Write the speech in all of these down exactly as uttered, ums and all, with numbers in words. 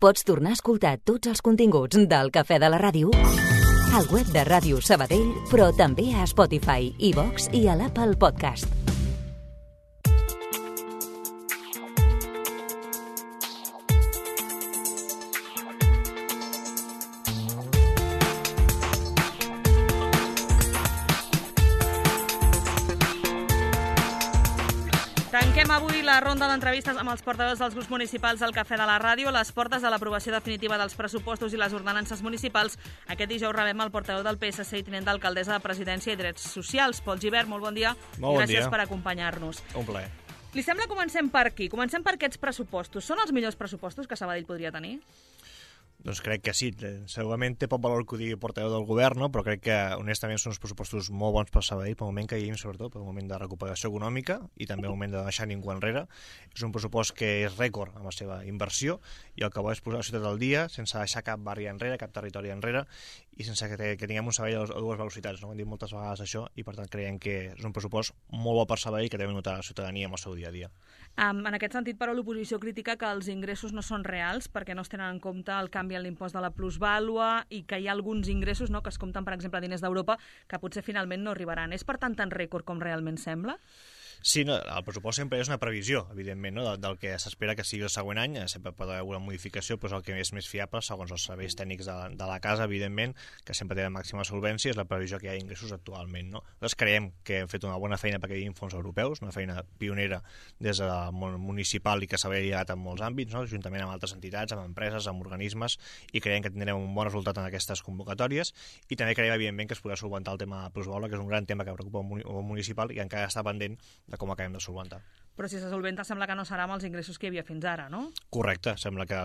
Pots tornar a escoltar tots els continguts del Cafè de la Ràdio al web de Ràdio Sabadell, però també a Spotify, iVox i a l'Apple Podcast. Tanquem avui la ronda d'entrevistes amb els portaveus dels grups municipals del Cafè de la Ràdio, les portes de l'aprovació definitiva dels pressupostos i les ordenances municipals. Aquest dijous rebem el portaveu del P S C i tinent d'alcaldessa de Presidència i Drets Socials, Pol Gibert. Molt bon dia. Molt bon Gràcies dia. per acompanyar-nos. Un plaer. Li sembla que comencem per aquí? Comencem per aquests pressupostos. Són els millors pressupostos que Sabadell podria tenir? Doncs crec que sí. Segurament té poc valor que ho digui el portaveu del govern, no? Però crec que, honestament, són uns pressupostos molt bons per Sabadell, pel moment que hi vivim, sobretot, pel moment de recuperació econòmica i també el moment de deixar ningú enrere. És un pressupost que és rècord amb la seva inversió i el que vol és posar la ciutat al dia sense deixar cap barri enrere, cap territori enrere i sense que, que tinguem un Sabadell a dues velocitats. No? Ho hem dit moltes vegades això i, per tant, creiem que és un pressupost molt bo per Sabadell que deu notar la ciutadania amb el seu dia a dia. Um, en aquest sentit, però, l'oposició critica que els ingressos no són reals perquè no es tenen en compte el canvi en l'impost de la plusvàlua i que hi ha alguns ingressos, no?, que es compten, per exemple, diners d'Europa, que potser finalment no arribaran. És, per tant, tan rècord com realment sembla? Sí, no, el pressupost sempre és una previsió, evidentment, no? del, del que s'espera que sigui el següent any. Sempre pot haver una modificació, però és el que és més fiable, segons els serveis tècnics de, de la casa, evidentment, que sempre té la màxima solvència, és la previsió que hi ha ingressos actualment. No? Nosaltres creiem que hem fet una bona feina perquè hi hagi fons europeus, una feina pionera des del món municipal i que s'ha llegat en molts àmbits, no? Juntament amb altres entitats, amb empreses, amb organismes, i creiem que tindrem un bon resultat en aquestes convocatòries. I també creiem, evidentment, que es podrà solventar el tema de la plusvàlua, que és un gran tema que preocupa el municipal i encara està pendent de com acabem de solventar. Però si se solventa sembla que no serà amb els ingressos que hi havia fins ara, no? Correcte, sembla que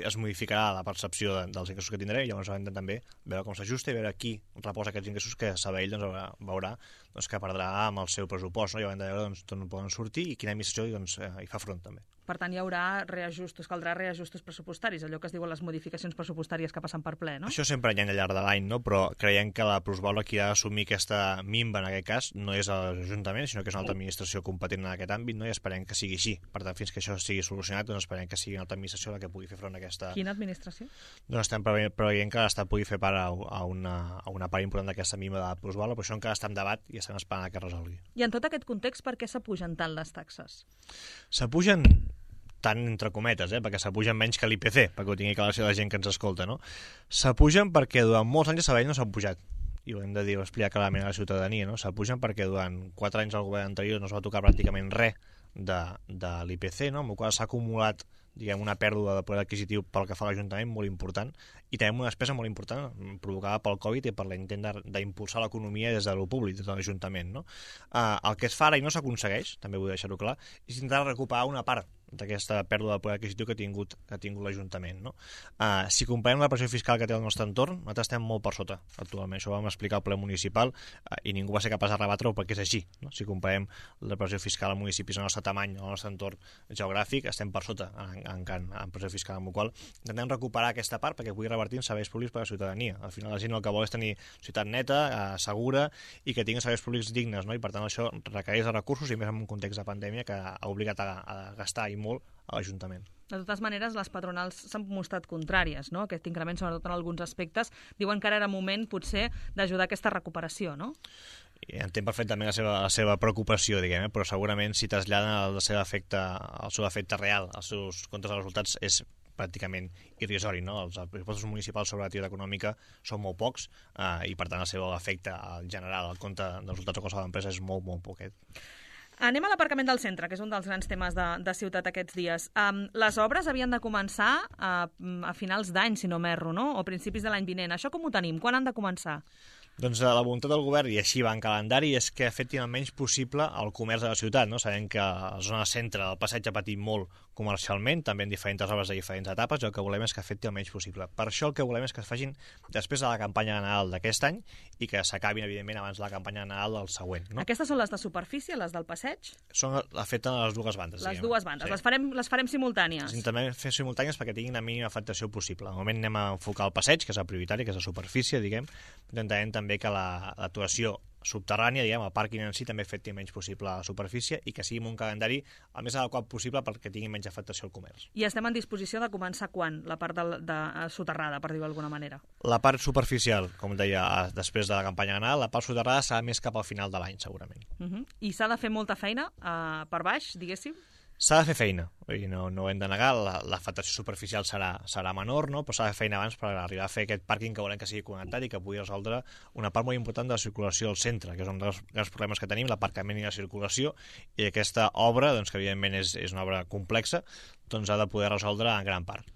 es modificarà la percepció de, dels ingressos que tindré i llavors hem de també veure com s'ajusta i veure qui reposa aquests ingressos que Sabadell doncs, veurà, veurà doncs, que perdrà amb el seu pressupost, no? I haurem de veure doncs, d'on poden sortir i quina administració doncs, eh, hi fa front també. Per tant, hi haurà reajustos, caldrà reajustos pressupostaris, allò que es diuen les modificacions pressupostàries que passen per ple, no? Això sempre hi ha al llarg de l'any, no? Però creiem que la plusvàlua qui ha d'assumir aquesta minva en aquest cas no és l'Ajuntament, sinó que és una altra administració competent en aquest àmbit, no? I esperem que sigui així. Per tant, fins que això sigui solucionat, doncs esperem que sigui una altra administració la que pugui fer front a aquesta... Quina administració? Doncs estem preveient que l'Estat pugui fer part a una, a una part important d'aquesta minva de la plusvàlua, però això encara està en debat i estem esperant que es resolgui. I en tot aquest context, per què s'apugen tant les taxes? S'apugen tant entre cometes, eh? Perquè s'apugen menys que l'I P C, perquè ho tingui clar la gent que ens escolta, no? S'apugen perquè durant molts anys a Sabadell no s'han pujat, i ho hem de dir, ho explicar clarament a la ciutadania, no? S'apugen perquè durant quatre anys al govern anterior no es va tocar pràcticament res de, de l'I P C, no? Amb el qual s'ha acumulat, diguem, una pèrdua de poder adquisitiu pel que fa a l'Ajuntament molt important, i tenim una despesa molt important provocada pel Covid i per l'intent d'impulsar l'economia des de lo públic, des de l'Ajuntament, no? Uh, el que es fa ara i no s'aconsegueix, també vull deixar-ho clar, és intentar recuperar una part d'aquesta pèrdua de poder adquisitiu que ha tingut, que ha tingut l'Ajuntament, no? Uh, si comparem la pressió fiscal que té el nostre entorn, nosaltres estem molt per sota actualment. Això ho vam explicar al ple municipal uh, i ningú va ser capaç de rebatre-ho perquè és així, no? Si comparem la pressió fiscal a municipis al nostre tamany, al nostre entorn geogràfic, estem per sota en, en, en, en pressió fiscal, amb la qual intentem recuperar aquesta part perquè pugui revertir en serveis públics per a la ciutadania. Al final la gent el que vol és tenir ciutat neta, uh, segura i que tingui serveis públics dignes, no? I per tant això requereix de recursos i més en un context de pandèmia que ha obligat a, a gastar i molt a l'Ajuntament. De totes maneres, les patronals s'han mostrat contràries, no? Aquest increment, sobretot en alguns aspectes, diuen que ara era moment, potser, d'ajudar a aquesta recuperació, no? I entenc perfectament la seva, la seva preocupació, diguem, eh? Però segurament si traslladen el seu efecte, el seu efecte real, els seus comptes de resultats, és pràcticament irrisori, no? Els pressupostos municipals sobre l'activitat econòmica són molt pocs eh, i, per tant, el seu efecte al general, el compte de resultats o qualsevol empresa és molt, molt poquet. Anem a l'aparcament del centre, que és un dels grans temes de, de ciutat aquests dies. Um, les obres havien de començar a, a finals d'any, si no m'erro, no? O principis de l'any vinent. Això com ho tenim? Quan han de començar? Doncs la voluntat del govern, i així va en calendari, és que afectin el menys possible el comerç de la ciutat, no? Sabem que la zona centre del passeig ha patit molt comercialment, també en diferents obres de diferents etapes, i el que volem és que afecti el menys possible. Per això el que volem és que es facin després de la campanya de Nadal d'aquest any i que s'acabin, evidentment, abans de la campanya de Nadal del següent. No? Aquestes són les de superfície, les del passeig? Són afecten a les dues bandes. Les diguem. dues bandes. Sí. Les, farem, les farem simultànies? Les intentem fer simultànies perquè tinguin la mínima afectació possible. Al moment anem a enfocar el passeig, que és el prioritari, que és la superfície, diguem. Intentarem també que la, l'actuació subterrània, diguem, el pàrquing en si també fet menys possible a la superfície i que sigui amb un calendari el més adequat possible perquè tingui menys afectació al comerç. I estem en disposició de començar quan? La part de, de soterrada, per dir-ho d'alguna manera. La part superficial, com deia, després de la campanya de Nadal, la part soterrada serà més cap al final de l'any, segurament. Uh -huh. I s'ha de fer molta feina uh, per baix, diguéssim? S'ha de fer feina, no, no ho hem de negar, l'afectació superficial serà, serà menor, no? Però s'ha de fer feina abans per arribar a fer aquest pàrquing que volem que sigui connectat i que pugui resoldre una part molt important de la circulació al centre, que és un dels grans problemes que tenim, l'aparcament i la circulació, i aquesta obra, doncs, que evidentment és, és una obra complexa, doncs ha de poder resoldre en gran part.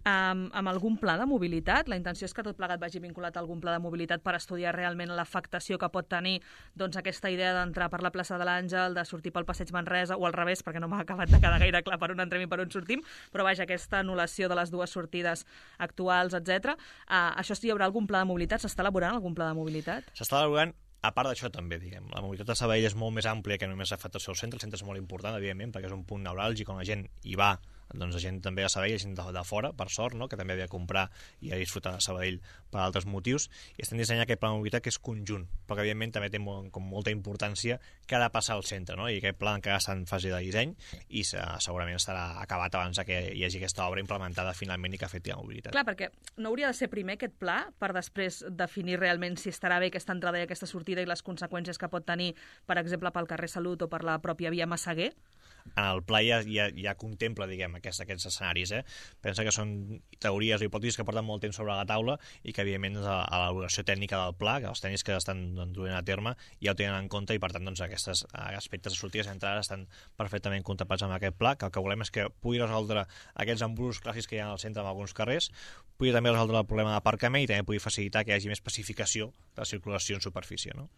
Um, amb algun pla de mobilitat? La intenció és que tot plegat vagi vinculat a algun pla de mobilitat per estudiar realment l'afectació que pot tenir doncs, aquesta idea d'entrar per la plaça de l'Àngel, de sortir pel passeig Manresa, o al revés, perquè no m'ha acabat de quedar gaire clar per on entrem i per on sortim, però vaja, aquesta anul·lació de les dues sortides actuals, etcètera. Uh, això sí, hi haurà algun pla de mobilitat? S'està elaborant algun pla de mobilitat? S'està elaborant. A part d'això també, diguem, la mobilitat de Sabadell és molt més àmplia que només l'afectació al centre. El centre és molt important, evidentment, perquè és un punt neuràlgic on la gent hi va, doncs la gent també a Sabadell, la gent de, de fora, per sort, no? Que també havia de comprar i a disfrutar de Sabadell per altres motius, i estem dissenyant aquest pla de mobilitat que és conjunt, però que evidentment també té molt, com molta importància que ha de passar al centre, no? I aquest pla encara està en fase de disseny i segurament estarà acabat abans que hi hagi aquesta obra implementada finalment i que afecti la mobilitat. Clar, perquè no hauria de ser primer aquest pla per després definir realment si estarà bé aquesta entrada i aquesta sortida i les conseqüències que pot tenir, per exemple, pel carrer Salut o per la pròpia via Massaguer? En el pla ja, ja, ja contempla, diguem, aquests, aquests escenaris, eh? Pensa que són teories o hipòtesis que porten molt temps sobre la taula i que, evidentment, a, a l'elaboració tècnica del pla, que els tècnics que estan doncs, duent a terme ja ho tenen en compte i, per tant, doncs, aquests aspectes de sortides i entrades estan perfectament contemplats amb aquest pla, que el que volem és que pugui resoldre aquests embrusos clàssics que hi ha al centre en alguns carrers, pugui també resoldre el problema d'aparcament i també pugui facilitar que hi hagi més pacificació de la circulació en superfície, no?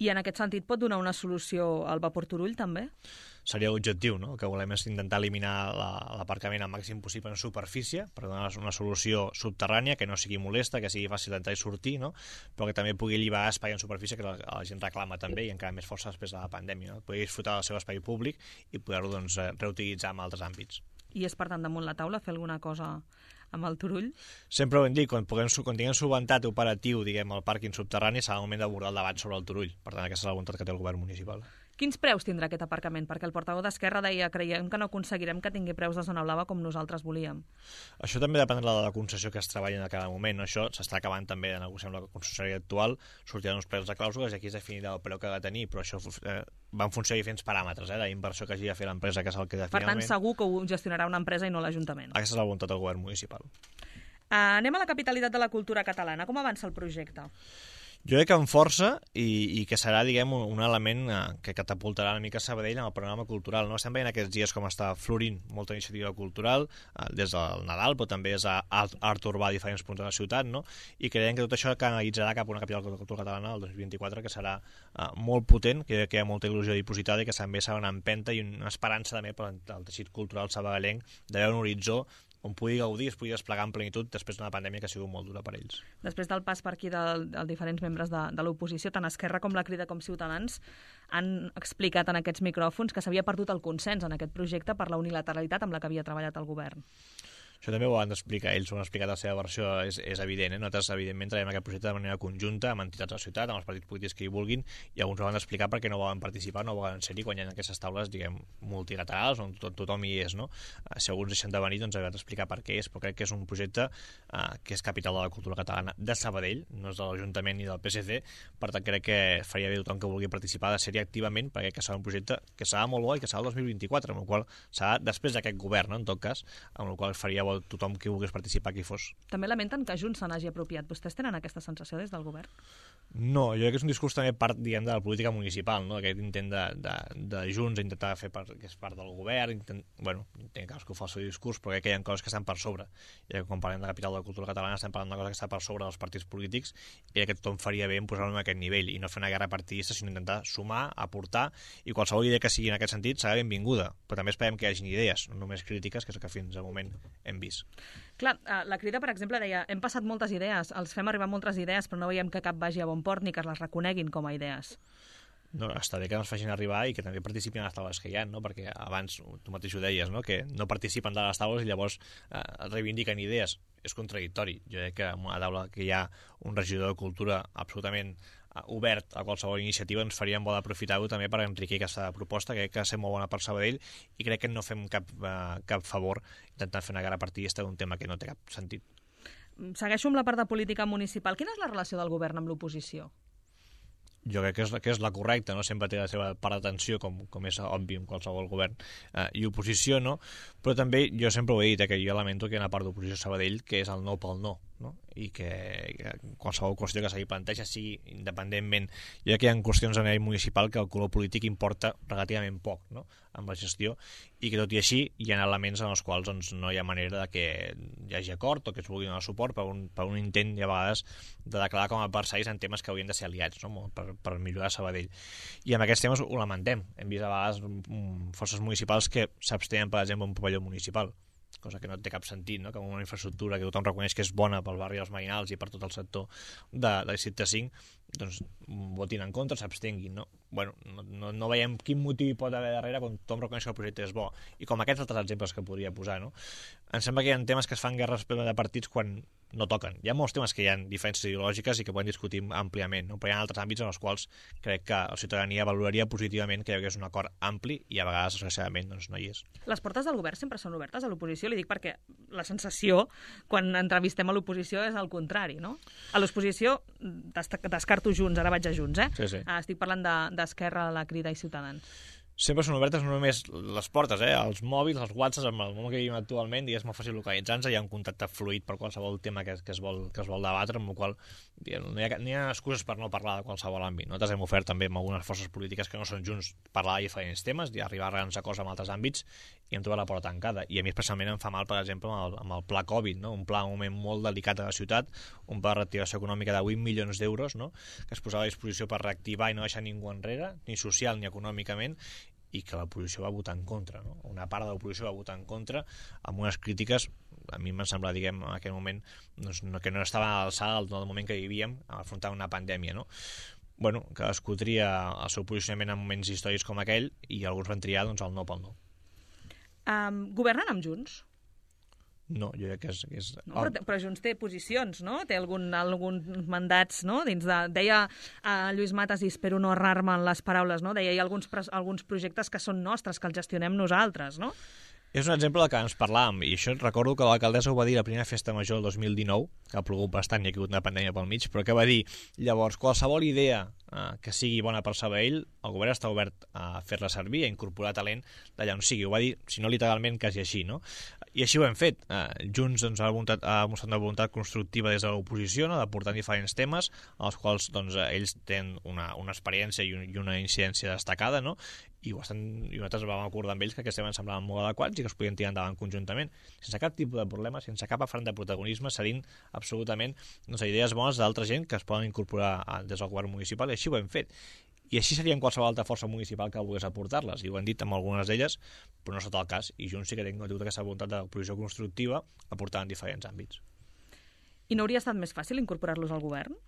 I en aquest sentit pot donar una solució al vapor Turull, també? Seria l'objectiu, no? El que volem és intentar eliminar l'aparcament al màxim possible en superfície per donar una solució subterrània que no sigui molesta, que sigui fàcil d'entrar i sortir, no? Però que també pugui alliberar espai en superfície que la, la gent reclama també i encara més força després de la pandèmia, no? Pugui disfrutar del seu espai públic i poder-ho doncs, reutilitzar en altres àmbits. I és, per tant, damunt la taula fer alguna cosa amb el Turull? Sempre ho hem dit, quan, puguem, quan tinguem solventat operatiu, diguem, el pàrquing subterrani, serà el moment d'abordar el debat sobre el Turull. Per tant, aquesta és la voluntat que té el govern municipal. Quins preus tindrà aquest aparcament? Perquè el portaveu d'Esquerra deia creiem que no aconseguirem que tingui preus de zona blava com nosaltres volíem. Això també dependrà de la concessió que es treballa en cada moment. No? Això s'està acabant també de negociar amb la concessió actual, sortiran uns preus de clàusules i aquí es definirà el preu que ha de tenir, però això eh, va en funció de diferents paràmetres, eh, d'inversió que hagi de fer l'empresa, que és el que de Per finalment... tant, segur que ho gestionarà una empresa i no l'Ajuntament. Aquesta és la voluntat del govern municipal. Uh, anem a la capitalitat de la cultura catalana. Com avança el projecte? Jo crec que amb força i, i que serà, diguem, un, un element eh, que catapultarà una mica Sabadell en el panorama cultural. No? Estem veient aquests dies com està florint molta iniciativa cultural, eh, des del Nadal, però també és a art, art urbà a diferents punts de la ciutat, no? I creiem que tot això canalitzarà cap a una capital de la cultura catalana el dos mil vint-i-quatre que serà eh, molt potent, que, que hi ha molta il·lusió dipositada i que també serà una empenta i una esperança també per al teixit cultural sabadellenc de veure un horitzó on pugui gaudir, es pugui desplegar en plenitud després d'una pandèmia que ha sigut molt dura per ells. Després del pas per aquí de, de diferents membres de, de l'oposició, tant Esquerra com la Crida com Ciutadans han explicat en aquests micròfons que s'havia perdut el consens en aquest projecte per la unilateralitat amb la que havia treballat el govern. Això també ho han d'explicar, ells ho han explicat la seva versió, és, és evident. Eh? Nosaltres, evidentment, treballem aquest projecte de manera conjunta amb entitats de la ciutat, amb els partits polítics que hi vulguin, i alguns ho han d'explicar perquè no volen participar, no volen ser-hi quan hi ha aquestes taules, diguem, multilaterals, on tot, tothom hi és, no? Si alguns deixen de venir, doncs haurem d'explicar per què és, però crec que és un projecte eh, que és capital de la cultura catalana de Sabadell, no és de l'Ajuntament ni del P S C, per tant crec que faria bé tothom que vulgui participar de ser-hi activament, perquè que serà un projecte que serà molt bo i que serà el dos mil vint-i-quatre, amb el qual serà després d'aquest govern, no? En tot cas, amb el qual faria bo tothom que vulgués participar qui fos. També lamenten que Junts se n'hagi apropiat. Vostès tenen aquesta sensació des del govern? No, jo crec que és un discurs també part, diguem, de la política municipal, no? Aquest intent de, de, de Junts intentar fer part, que és part del govern, intent, bueno, entenc que cadascú fa el seu discurs, però crec que hi ha coses que estan per sobre. I quan parlem de la capital de la cultura catalana estem parlant d'una cosa que està per sobre dels partits polítics i crec que tothom faria bé en posar-lo en aquest nivell i no fer una guerra partidista, sinó intentar sumar, aportar, i qualsevol idea que sigui en aquest sentit serà benvinguda, però també esperem que hi hagi idees, no només crítiques, que és el que fins al moment hem vist. Clar, la Crida, per exemple, deia hem passat moltes idees, els fem arribar moltes idees, però no veiem que cap vagi a bon port ni que les reconeguin com a idees. No, està bé que ens facin arribar i que també participin a les taules que hi ha, no? Perquè abans tu mateix ho deies, no? Que no participen de les taules i llavors eh, reivindiquen idees. És contradictori. Jo crec que en una taula que hi ha un regidor de cultura absolutament obert a qualsevol iniciativa, ens faríem bo d'aprofitar-ho també per enriquir aquesta proposta, que crec que va ser molt bona per Sabadell i crec que no fem cap, uh, cap favor intentant fer una gara partidista d'un tema que no té cap sentit. Segueixo amb la part de política municipal. Quina és la relació del govern amb l'oposició? Jo crec que és, que és la correcta, no? Sempre té la seva part d'atenció, com, com és obvi en qualsevol govern eh, i oposició, no? Però també jo sempre ho he dit, eh, que jo lamento que hi ha una part d'oposició a Sabadell que és el no pel no, no? I que, que qualsevol qüestió que s'hi planteja sigui independentment. Jo crec que hi ha qüestions a nivell municipal que el color polític importa relativament poc, no?, amb la gestió, i que tot i així hi ha elements en els quals doncs, no hi ha manera de que hi hagi acord o que es vulgui donar suport per un, per un intent, i a vegades, de declarar com a adversaris en temes que haurien de ser aliats, no?, per, per millorar Sabadell. I amb aquests temes ho lamentem. Hem vist a vegades um, forces municipals que s'abstenen, per exemple, un pavelló municipal, cosa que no té cap sentit, no?, que una infraestructura que tothom reconeix que és bona pel barri dels Mainals i per tot el sector de, de districte cinc, doncs votin en contra, s'abstenguin, no? Bueno, no, no, no veiem quin motiu hi pot haver darrere quan tothom reconeix que el projecte és bo, i com aquests altres exemples que podria posar, no? Em sembla que hi ha temes que es fan guerres de partits quan no toquen. Hi ha molts temes que hi ha diferències ideològiques i que podem discutir àmpliament, no? Però hi ha altres àmbits en els quals crec que la ciutadania valoraria positivament que hi hagués un acord ampli i a vegades, desgraciadament, doncs no hi és. Les portes del govern sempre són obertes a l'oposició? Li dic perquè la sensació, quan entrevistem a l'oposició, és el contrari, no? A l'oposició descarto Junts, ara vaig a Junts, eh? Sí, sí. Estic parlant d'Esquerra, de, la Crida i Ciutadans. Sempre són obertes no només les portes, eh? Els mòbils, els whatsapps, amb el món que vivim actualment, i és molt fàcil localitzar-nos, hi ha un contacte fluid per qualsevol tema que, que, es, vol, que es vol debatre, amb el qual no hi, ha, no hi ha excuses per no parlar de qualsevol àmbit. Nosaltres hem ofert també amb algunes forces polítiques que no són Junts parlar de diferents temes i arribar a grans acords amb altres àmbits, i hem trobat la porta tancada. I a mi especialment em fa mal, per exemple, amb el, amb el pla Covid, no? Un pla en un moment molt delicat a la ciutat, un pla de reactivació econòmica de vuit milions d'euros, no?, que es posava a disposició per reactivar i no deixar ningú enrere, ni social ni econòmicament, i que l'oposició va votar en contra, no? Una part de l'oposició va votar en contra amb unes crítiques, a mi m'en sembla, diguem, en aquell moment doncs, no, que no estava a l'alçada del moment que vivíem a afrontar una pandèmia, no? Bueno, cadascú tria el seu posicionament en moments històrics com aquell, i alguns van triar doncs, el no pel no. Um, governen amb Junts? No, jo crec que és... Que és... No, però, però Junts té posicions, no? Té algun, alguns mandats, no? Dins de, deia uh, Lluís Matas, i espero no errar-me en les paraules, no? Deia hi ha alguns, alguns projectes que són nostres, que els gestionem nosaltres, no? És un exemple del que ens parlàvem, i això recordo que l'alcaldessa ho va dir a la primera festa major del dos mil dinou, que ha plogut bastant i ha hagut una pandèmia pel mig, però que va dir, llavors, qualsevol idea eh, que sigui bona per Sabadell, el govern està obert a fer-la servir, a incorporar talent d'allà on sigui. Ho va dir, si no literalment, quasi així, no? I així ho hem fet. Eh, Junts doncs, ha, voluntat, ha mostrat una voluntat constructiva des de l'oposició, no?, d'aportar diferents temes, als quals doncs, ells tenen una, una experiència i, un, i una incidència destacada, no?, i, ho estan, i nosaltres vam acordar amb ells que aquests temes semblaven molt adequats i que es podien tirar endavant conjuntament, sense cap tipus de problema, sense cap afany de protagonisme, cedint absolutament doncs, idees bones d'altra gent que es poden incorporar des del govern municipal, i així ho hem fet. I així seria en qualsevol altra força municipal que volgués aportar-les, i ho hem dit amb algunes d'elles, però no és tot el cas, i Junts sí que tinc aquesta voluntat de posició constructiva aportant en diferents àmbits. I no hauria estat més fàcil incorporar-los al govern?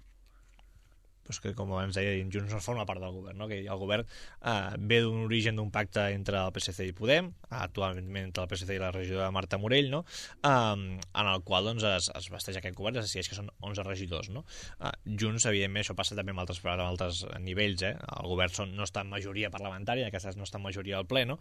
Pues que, com ens deia, Junts no forma part del govern, no? Que el govern eh, ve d'un origen d'un pacte entre el P S C i Podem, actualment entre el P S C i la regidora Marta Morell, no? eh, en el qual doncs, es, es vesteix aquest govern, es decideix que són onze regidors, no? Eh, Junts, evidentment, això passa també amb altres, amb altres nivells, eh? El govern són, no està en majoria parlamentària, aquestes no està en majoria al ple, no?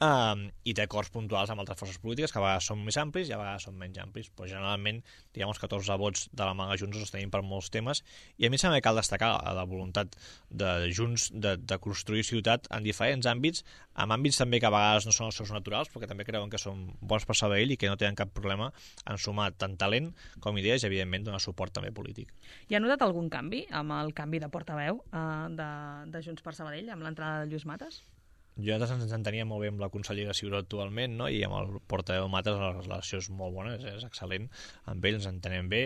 Eh, i té acords puntuals amb altres forces polítiques que a vegades són més amplis i a vegades són menys amplis, però generalment, diguem, els catorze vots de la mà de Junts els tenim per molts temes, i a mi sembla que cal destacar a la voluntat de Junts de, de construir ciutat en diferents àmbits, amb àmbits també que a vegades no són els seus naturals, però que també creuen que són bons per Sabadell i que no tenen cap problema en sumar tant talent com idees i, evidentment, donar suport també polític. I ha notat algun canvi amb el canvi de portaveu eh, de, de Junts per Sabadell, amb l'entrada de Lluís Matas? Jo ens entenia molt bé amb la consellera Ciuró actualment, no? I amb el portaveu Matas la relació és molt bona, és, és excel·lent, amb ell ens entenem bé,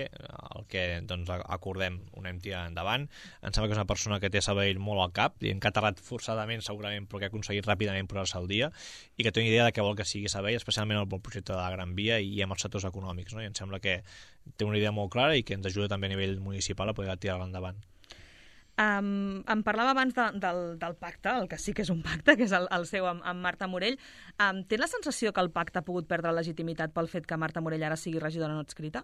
el que doncs, acordem ho anem tirant endavant. Em sembla que és una persona que té Sabadell molt al cap, i que ha aterrat forçadament segurament, però que ha aconseguit ràpidament posar-se al dia, i que té una idea de què vol que sigui Sabadell, especialment el projecte de la Gran Via i amb els sectors econòmics, no? I em sembla que té una idea molt clara i que ens ajuda també a nivell municipal a poder tirar-la endavant. Um, em parlava abans de, del, del pacte, el que sí que és un pacte, que és el, el seu amb, amb Marta Morell. Um, té la sensació que el pacte ha pogut perdre legitimitat pel fet que Marta Morell ara sigui regidora no adscrita?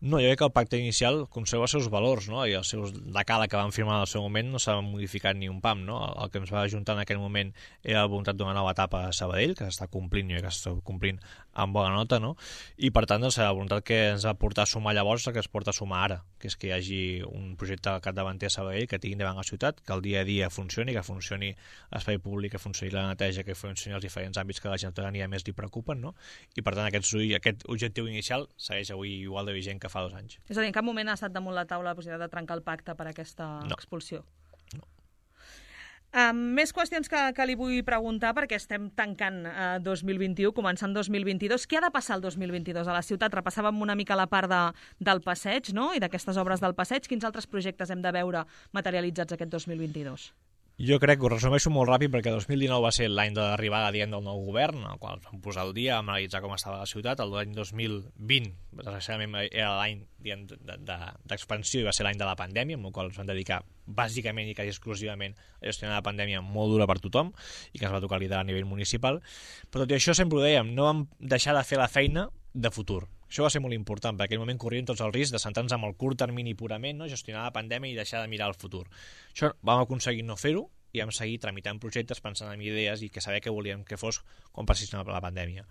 No, jo crec que el pacte inicial conserva els seus valors, no? I els seus decàleg que van firmar en el seu moment no s'ha modificat ni un pam, no? El que ens va ajuntar en aquell moment era la voluntat d'una nova etapa a Sabadell, que s'està complint, jo crec que s'està complint amb bona nota, no? I per tant, doncs, la voluntat que ens va portar a sumar llavors, que es porta a sumar ara, que és que hi hagi un projecte capdavanter a Sabadell que tingui davant la ciutat, que el dia a dia funcioni, que funcioni l'espai públic, que funcioni la neteja, que funcioni els diferents àmbits que a la ciutadania més li preocupen, no? I per tant, aquest, aquest objectiu inicial segueix avui igual de vigent que fa dos anys. És a dir, en cap moment ha estat damunt la taula la possibilitat de trencar el pacte per aquesta no. expulsió? No. Um, més qüestions que, que li vull preguntar, perquè estem tancant uh, dos mil vint-i-u, començant dos mil vint-i-dos. Què ha de passar el dos mil vint-i-dos a la ciutat? Repassàvem una mica la part de, del passeig, no?, i d'aquestes obres del passeig. Quins altres projectes hem de veure materialitzats aquest dos mil vint-i-dos? Jo crec que ho resumeixo molt ràpid perquè el dos mil dinou va ser l'any de l'arribada diguem del nou govern, el qual vam posar al dia, vam analitzar com estava la ciutat. L'any dos mil vint, desgraciadament, era l'any d'expansió i va ser l'any de la pandèmia, amb el qual ens vam dedicar bàsicament i quasi exclusivament a gestionar la pandèmia molt dura per tothom i que ens va tocar liderar a nivell municipal. Però tot i això sempre ho dèiem, no vam deixar de fer la feina de futur. Això va ser molt important, perquè en aquell moment corrien tots els riscs de centrar-nos en el curt termini purament, no? Gestionar la pandèmia i deixar de mirar el futur. Això vam aconseguir no fer-ho i vam seguir tramitant projectes, pensant en idees i que saber què volíem que fos quan passés la pandèmia.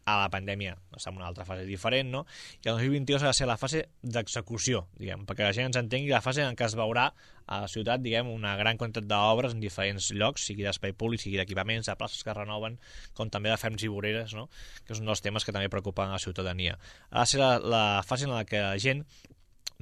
A la pandèmia està en una altra fase diferent, no? I el dos mil vint-i-dos ha de ser la fase d'execució, diguem, perquè la gent ens entengui la fase en què es veurà a la ciutat, diguem, una gran quantitat d'obres en diferents llocs, sigui d'espai públic, sigui d'equipaments, de places que es renoven, com també de ferms i voreres, no? Que és un dels temes que també preocupen a la ciutadania. Ha de ser la, la fase en la que la gent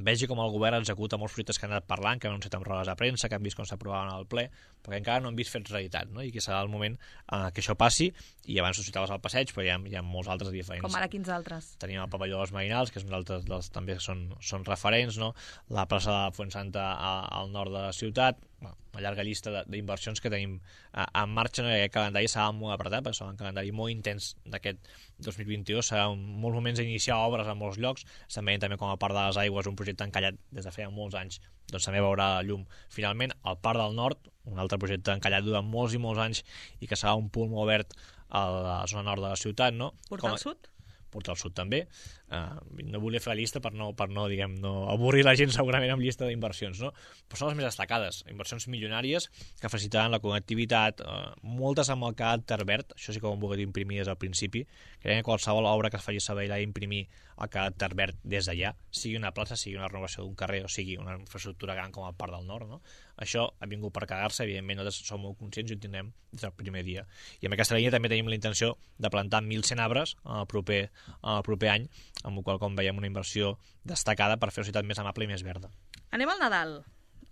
vegi com el govern executa molts projectes que han anat parlant, que han anunciat amb rodes de premsa, que han vist com s'aprovaven al ple, perquè encara no han vist fets realitat, no? I que serà el moment eh, que això passi, i abans ho citaves al passeig, però hi ha, hi ha molts altres diferents. Com ara quins altres? Tenim el pavelló dels Mainals, que és un altre dels, també són, són referents, no? La plaça de Fuensanta al nord de la ciutat, bueno, una llarga llista d'inversions que tenim eh, en marxa, no? I aquest calendari serà molt apretat, perquè serà un calendari molt intens d'aquest dos mil vint-i-dos, serà un, molts moments d'iniciar obres a molts llocs, estem veient també com a part de les aigües, un projecte encallat des de feia molts anys, doncs també veurà la llum. Finalment, el Parc del Nord, un altre projecte encallat durant molts i molts anys i que serà un punt molt obert a la zona nord de la ciutat, no? Portal com... Sud? Portal Sud també. Uh, no volia fer la llista per no, per no, diguem, no avorrir la gent segurament amb llista d'inversions, no? Però són les més destacades, inversions milionàries que facilitaran la connectivitat, uh, moltes amb el caràcter verd, això sí que ho hem volgut imprimir des del principi, creiem que qualsevol obra que es faci a Sabadell ha d'imprimir el caràcter verd des d'allà, sigui una plaça, sigui una renovació d'un carrer o sigui una infraestructura gran com el Parc del Nord, no? Això ha vingut per quedar-se, evidentment nosaltres som molt conscients i ho tindrem des del primer dia. I amb aquesta línia també tenim la intenció de plantar mil cent arbres el proper, el proper any, amb el qual, com veiem, una inversió destacada per fer una ciutat més amable i més verda. Anem al Nadal.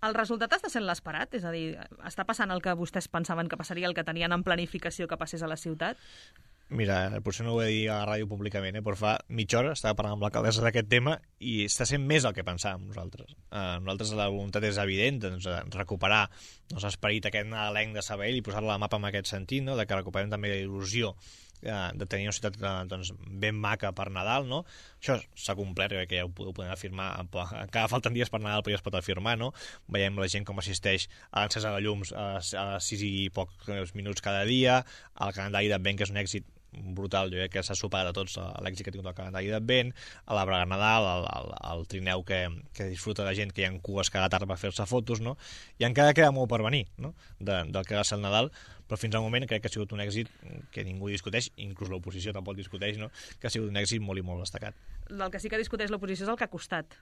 El resultat està sent l'esperat? És a dir, està passant el que vostès pensaven que passaria, el que tenien en planificació que passés a la ciutat? Mira, potser no ho he dit a la ràdio públicament, eh? Però fa mitja hora estava parlant amb l'alcaldessa d'aquest tema i està sent més el que pensàvem nosaltres. Uh, nosaltres la voluntat és evident, doncs, recuperar doncs, l'esperit aquest nadalenc de Sabadell i posar-la a la mapa en aquest sentit, no? De que recuperem també la il·lusió uh, de tenir una ciutat uh, doncs, ben maca per Nadal, no? Això s'ha complert, crec que ja ho podem afirmar, encara falten dies per Nadal però ja es pot afirmar, no? Veiem la gent com assisteix a l'encesa de llums a, a sis i pocs minuts cada dia, el calendari d'Advent, que és un èxit brutal, jo crec que s'ha superat a tots l'èxit que ha tingut el calendari d'Advent, a l'arbre de Nadal, el, el, el trineu que, que disfruta la gent, que hi ha cues cada tarda per fer-se fotos, no? I encara queda molt per venir, no? De, del que va ser el Nadal, però fins al moment crec que ha sigut un èxit que ningú discuteix, inclús l'oposició tampoc discuteix, no? Que ha sigut un èxit molt i molt destacat. El que sí que discuteix l'oposició és el que ha costat.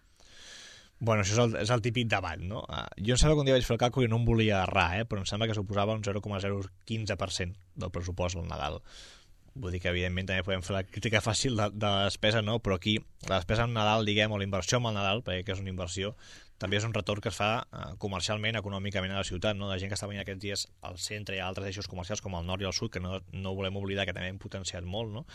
Bueno, això és el, és el típic debat, no? Uh, jo em sembla que un dia vaig fer el càlcul i no em volia errar, eh? Però em sembla que suposava un zero coma zero quinze per cent del pressupost al Nadal. Vull dir que, evidentment, també podem fer la crítica fàcil de, de la despesa, no? Però aquí, la despesa en Nadal, diguem, o la inversió en el Nadal, perquè que és una inversió, també és un retorn que es fa eh, comercialment, econòmicament a la ciutat, no? La gent que està venint aquests dies al centre i a altres eixos comercials com el nord i el sud, que no, no volem oblidar que també hem potenciat molt, no?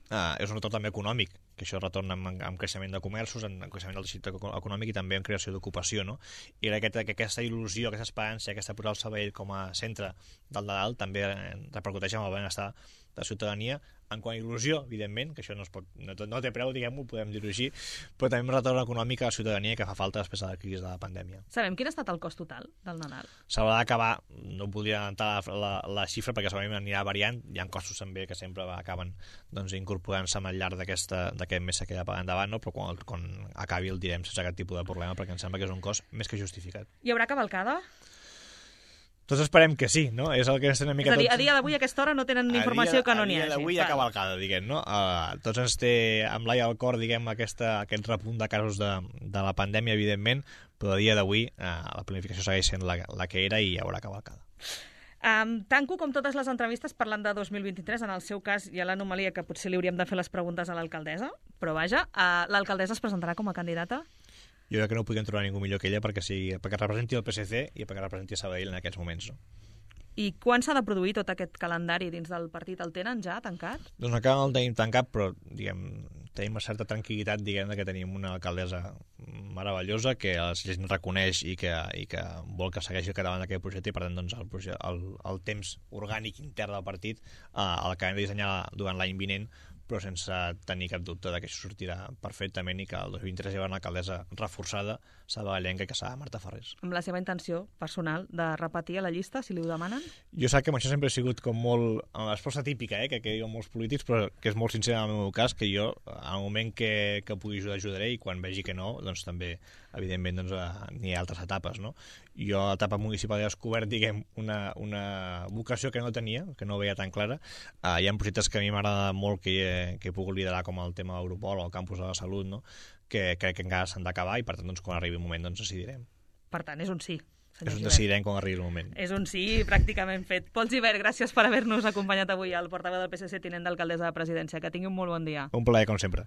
Eh, és un retorn també econòmic, que això retorna amb, amb creixement de comerços, en creixement del teixit econòmic i també en creació d'ocupació, no? I crec que, que aquesta il·lusió, aquesta esperança, aquesta posar el Sabadell com a centre del Nadal també repercuteix en el benestar de ciutadania, en quant a il·lusió, evidentment, que això no, es pot, no, no té preu, diguem-ho, podem dir-ho així, però també un retorn econòmic a la ciutadania que fa falta després de la crisi de la pandèmia. Sabem quin ha estat el cost total del Nadal? S'haurà d'acabar, no podria adelantar la, la, la xifra perquè segurament anirà variant, hi ha costos també que sempre acaben doncs, incorporant-se al llarg d'aquest mes que ja pagar endavant, no? Però quan, quan acabi el direm sense aquest tipus de problema perquè em sembla que és un cost més que justificat. Hi haurà cavalcada? Tots esperem que sí, no? És el que estem una mica és a dir, tots... a dia d'avui a aquesta hora no tenen informació que no n'hi hagi. A dia d'avui hi ha cavalcada, diguem, no? Uh, tots ens té amb l'ai al cor, diguem, aquesta, aquest repunt de casos de, de la pandèmia, evidentment, però a dia d'avui uh, la planificació segueix sent la, la que era i hi haurà cavalcada. Um, tanco com totes les entrevistes parlant de dos mil vint-i-tres. En el seu cas hi ha l'anomalia que potser li hauríem de fer les preguntes a l'alcaldessa, però vaja, uh, l'alcaldessa es presentarà com a candidata? Jo crec que no podem trobar ningú millor que ella perquè, sigui, perquè representi el P S C i perquè representi Sabadell en aquests moments, no? I quan s'ha de produir tot aquest calendari dins del partit? El tenen ja tancat? Doncs encara no el tenim tancat, però diguem, tenim una certa tranquil·litat, diguem, que tenim una alcaldessa meravellosa que la gent reconeix i que, i que vol que segueixi el davant d'aquest projecte i per tant doncs, el, projecte, el, el temps orgànic intern del partit eh, el que hem de dissenyar durant l'any vinent, però sense tenir cap dubte de que això sortirà perfectament i que el dos mil vint-i-tres hi haurà una alcaldessa reforçada, sabadellenca, que serà Marta Ferrés. Amb la seva intenció personal de repetir a la llista, si li ho demanen? Jo sé que amb això sempre he sigut com molt... La resposta típica, eh, que, que diuen molts polítics, però que és molt sincera en el meu cas, que jo, al moment que, que pugui ajudar, ajudaré, i quan vegi que no, doncs també, evidentment, doncs, n'hi ha altres etapes, no? Jo a l'etapa municipal he descobert, diguem, una, una vocació que no tenia, que no veia tan clara. Uh, hi ha projectes que a mi m'agrada molt que he, que he pogut liderar, com el tema d'Europol o el campus de la salut, no? Que crec que encara s'han d'acabar i, per tant, doncs, quan arribi el moment, doncs, decidirem. Per tant, és un sí. És un decidirem quan arribi el moment. És un sí pràcticament fet. Pol Gibert, gràcies per haver-nos acompanyat avui al portaveu del P S C, tinent d'alcaldessa de presidència. Que tingui un molt bon dia. Un plaer, com sempre.